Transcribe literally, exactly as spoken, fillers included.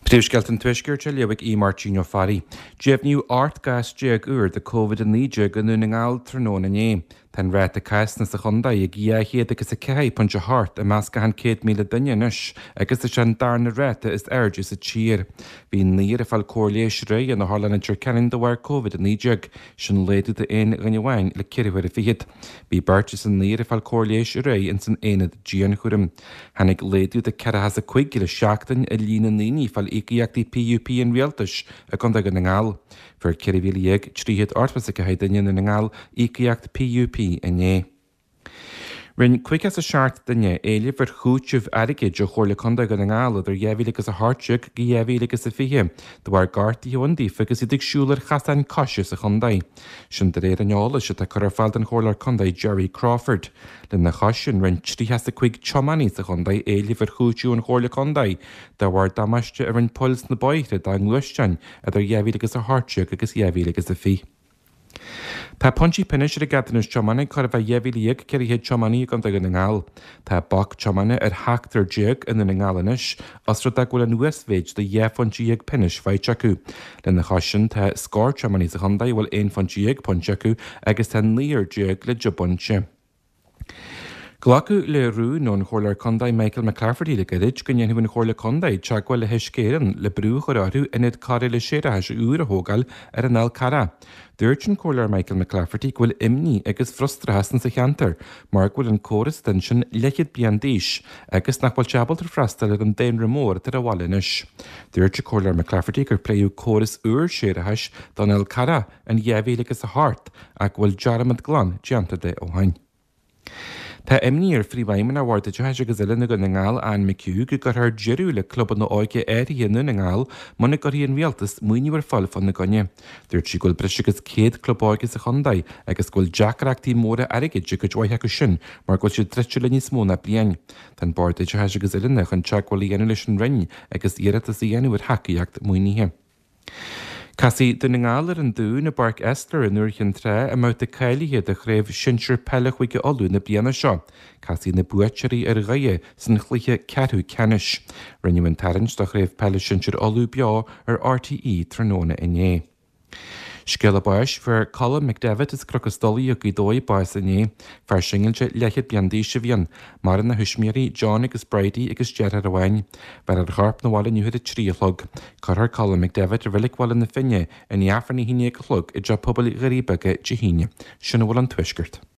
Príomhscéalta an Tuaiscirt á léamh ag Aodh Máirtín Ó Fearraigh. Deimhníodh ocht gcás déag úr de Covid a naoi déag i nDún na nGall tráthnóna inné. Tá an ráta cásanna sa chontae ag dhá chéad agus a ceathair pointe a hocht i measc achan céad míle duine anois agus is é an darna ráta is airde sa tír. Bhí naonúr ag fáil cóir leighis aréir in Otharlann Leitir Ceanainn de bharr Covid a naoi déag, sin laghdú d'aon dhuine amháin le ceithre huaire fichead. Bhí beirt as an naonúr ag fáil cóir leighis aréir ins an aonad dianchúraim. Tháinig laghdú de ceathracha is a cúig le seachtain i líon na ndaoine ag fáil íocaíochtaí PUP an rialtais i gContae Dhún na nGall. Fuair ceithre mhíle dhéag trí chéad ochtó is a ceathair duine i nDún na nGall íocaíocht PUP inné. Rinne caoga is a seacht duine éileamh ar chúiteamh airgid ó Chomhairle Contae Dhún na nGall idir dhá mhíle agus a hocht déag go dhá mhíle agus a fiche, de bharr gortuithe a bhain daofa agus iad ag siúl ar chasáin coise sa chontae. Sin de réir an eolais atá curtha ar fáil don Chomhairleoir Contae Jerry Crawford. Lena chois sin, rinne tríocha is a cúig tiománaí sa chontae éileamh ar chúiteamh ón Chomhairle Contae de bharr damáiste a rinne poill sna bóithre dá ngluaisteáin idir dhá mhíle agus a hocht déag agus dhá mhíle agus a fiche. Tá pointí pionóis ar an gceadúnas tiomána curtha fá dhá mhíle dhéag ceithre chéad tiománaí i gContae Dhún na nGall. Tá bac tiomána ar sheachtar déag i nDún na nGall anois, os rud é go bhfuil an uasmhéid de dhá phointe dhéag pionóis faighte acu. Lena chois sin tá scór tiománaí sa chontae a bhfuil aon phointe dhéag pointe acu agus tá naonúr déag le deich bpointe. Glacadh le rún ón Chomhairleoir Contae Michael McClafferty le gairid go ndéanfaidh an Chomhairle Contae teagmháil le hUisce Éireann le brú a chur orthu ionad cóireála séarachais úr a thógáil ar an Fhál Carrach. Dúirt an Comhairleoir Michael McClafferty go bhfuil imní agus frustrachas sa cheantar mar go bhfuil an córas ansin leathchéad bliain d'aois agus nach bhfuil sé ábalta freastal ar an daonra mór atá ar an bhaile anois. Dúirt an Comhairleoir McClafferty gur pléadh córas úr séarachais don Fhál Carrach in dhá mhíle agus a hocht ach go bhfuil dearmad glan déanta de ó shin. Tá imní ar Phríomhfheidhmeannach Bhord Oideachais agus Oiliúna Dhún na nGall Anne McHugh go gcuirfear deireadh le clubanna óige áirithe i nDún na nGall muna gcuirfidh an rialtas maoiniú ar fáil fána gcoinne. Dúirt sí go bhfuil breis agus céad club óige sa chontae agus go bhfuil deacrachtaí móra airgid ag cuid mhaith acu sin mar go bhfuil siad druidte le níos mó ná bliain. Tá an Bord Oideachais agus Oiliúna chun teagmháil a dhéanamh leis an Roinn agus iarratas a dhéanamh ar thacaíocht maoinithe. Casfaidh Dún na nGall ar an Dún i bPáirc Esler i nDúiche Chinn Trá i mbabhta cáilithe do chraobh sinsir peile Chúige Uladh na bliana seo. Casfaidh na buaiteoirí ar Dhoire san chluiche ceathrú ceannais. Rinneadh an tarraingt do chraobh peile sinsir Uladh beo ar RTÉ tráthnóna inné. Scéala báis fuair Colm McDevitt as Cnoc an Stolaigh i Gaoth Dobhair bás inné. Fear singilte leathchéad bliain d'aois a bhí ann. Maireann a thuismitheoirí John agus Bridie agus deartháir amháin. Bhéarfar a chorp 'na bhaile inniu ar a trí a chlog. Cuirfear Colm McDevitt i Reilig Bhaile na Finne i ndiaidh Aifreann a haon déag a chlog i dTeach Pobail Dhoirí Beaga Dé hAoine. Sin a bhfuil ón Tuaisceart.